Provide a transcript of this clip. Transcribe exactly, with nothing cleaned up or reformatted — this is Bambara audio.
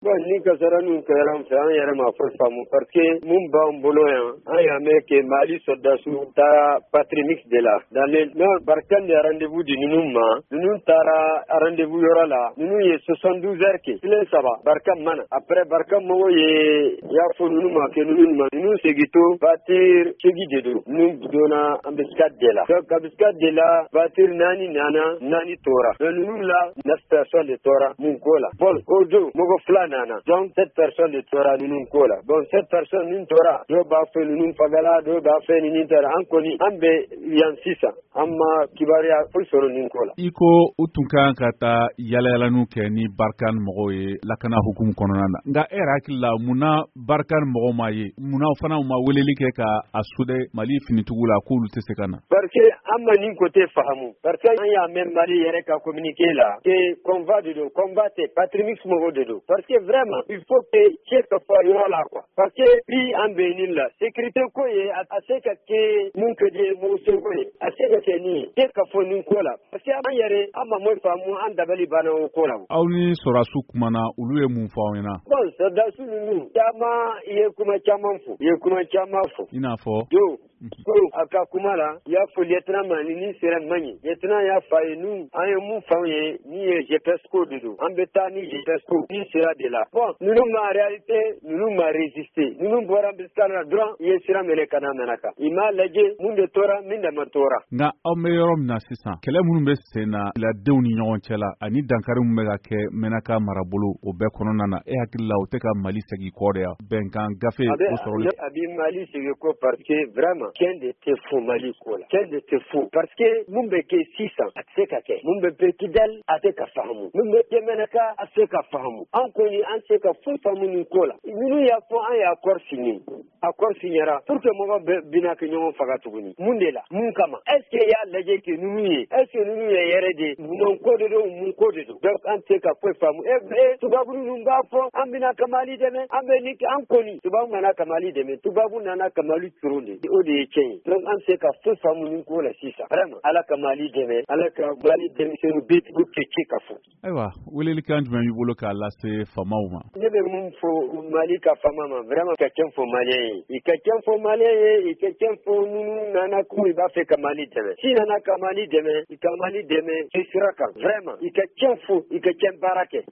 Bon, ni kasara ninnu kɛra an fɛ, an yɛrɛ ma foyi faamu, parce que mun b'an bolo yan, an y'a mɛn que Mali soldats taara patrouille mixte de la dans le nord. Barkhane de rendez-vous di ninnu ma. Ninnu taara rendez-vous yɔrɔ la, ninnu ye soixante-douze heures kɛ, tile saba, Barkhane mana. Après, Barkhane mɔgɔw ye y'a fɔ ninnu ma que ninnu ma ninnu segin to voiture segi de don. Ninnu donna embuscade de la. Donc embuscade de la, voiture naani nana, naani tora, mais ninnu la neuf personnes de tora mun ko la. Bon, o don mɔgɔ fila nana, donc sept personnes de tora ninnu ko la. Bon, sept personnes min tora, dɔw b'a fɛ ninnu fagala, dɔw b'a fɛ ninnu taara. An kɔni an bɛ yan sisan, an ma kibaruya foyi sɔrɔ nin ko la. I ko u tun kan ka taa yalayalaniw kɛ ni Barkhane mɔgɔw ye lakana hukumu kɔnɔna na, nka e yɛrɛ hakili la, munna Barkhane mɔgɔw ma ye? Munna fana u ma weleli kɛ ka a sude Mali finitigiw la k'olu tɛ se ka na? Parce que an ma nin côté faamu, parce que an y'a mɛn Mali yɛrɛ ka communiqué la que convoi de don. Convoi tɛ, patrouille mixte mɔgɔw de don, parce que vraiment il faut que cɛ ka fɔ yɔrɔ la quoi, parce que bi an bɛ nin la sécurité ko ye, a se ka kɛ mun ka di mɔgɔ seko ye, a se ka kɛ nin ye, cɛ ka fɔ nin ko la, parce que an yɛrɛ an ma mun faamu, an dabali banna o ko la. Aw ni sɔrɔdasiw kumana, olu ye mun fɔ aw ɲɛna? Bon, sɔrɔdasiw ninnu caman ye kuma caman fɔ, i ye kuma caman fɔ. I n'a fɔ? Do ko a ka kuma la, i y'a fɔ lieutenant ma ni nin sera man ɲi. Lieutenant y'a fɔ a ye nu an ye mun f'anw ye, ni ye G P S ko de don, an bɛ taa ni G P S ko ni sera de la. Bon, ninnu ma réalité, ninnu ma résister. Ninnu bɔra embuscade la dɔrɔn, i ye sira minɛ ka na Menaka, i m'a lajɛ mun de tora, min de ma tora. Nka aw bɛ yɔrɔ min na sisan, kɛlɛ minnu bɛ sen na ladenw ni ɲɔgɔn cɛ la ani dankari min bɛ ka kɛ Menaka marabolo, o bɛɛ kɔnɔna na, e hakili la, o tɛ ka Mali segin kɔ de ya, bɛnkan gafe o sɔrɔli? A bɛ Mali segin kɔ, parce que vraiment tiɲɛ de tɛ fo Mali ko la, tiɲɛ de tɛ fo, parce que mun bɛ kɛ sisan, a tɛ se ka kɛ. Mun bɛ kɛ Kidali, a tɛ ka faamu. Mun bɛ kɛ Menaka, a tɛ se ka faamu. An kɔni an tɛ ka foyi faamu nin ko la. Ninnu y'a fɔ an ye accord signé, accord signera pour que mɔgɔ bɛɛ bɛna kɛ ɲɔgɔn faga tuguni, mun de la, mun kama? Est ce que y'a lajɛ que ninnu ye, est ce que ninnu ye yɛrɛ de mun ko de don, mun ko de don? Donc an tɛ ka foyi faamu. E e tubabu ninnu b'a fɔ an bɛna ka Mali dɛmɛ, an bɛ nin kɛ. An kɔni tubabu nana ka Mali dɛmɛ, tubabu nana ka Mali coron de, o de ye tiɲɛ ye. Donc an tɛ ka foyi faamu nin ko la sisan. Vraiment, Ala ka Mali dɛmɛ, Ala ka Mali denmisɛnninw bɛɛ kɛ ci ka fɔ. Ayiwa, welelikan jumɛn b'i bolo k'a lase faamaw ma? Ne bɛ mun fɔ Mali ka faama ma? Vraiment, ka tiɲɛ fɔ Malien ye, i ka tiɲɛ fɔ Malien ye, i ka tiɲɛ fɔ minnu nana k'u b'a fɛ ka Mali dɛmɛ. Si nana ka Mali dɛmɛ, i ka Mali dɛmɛ i sira kan. Vraiment, i ka tiɲɛ fɔ, i ka tiɲɛ baara kɛ.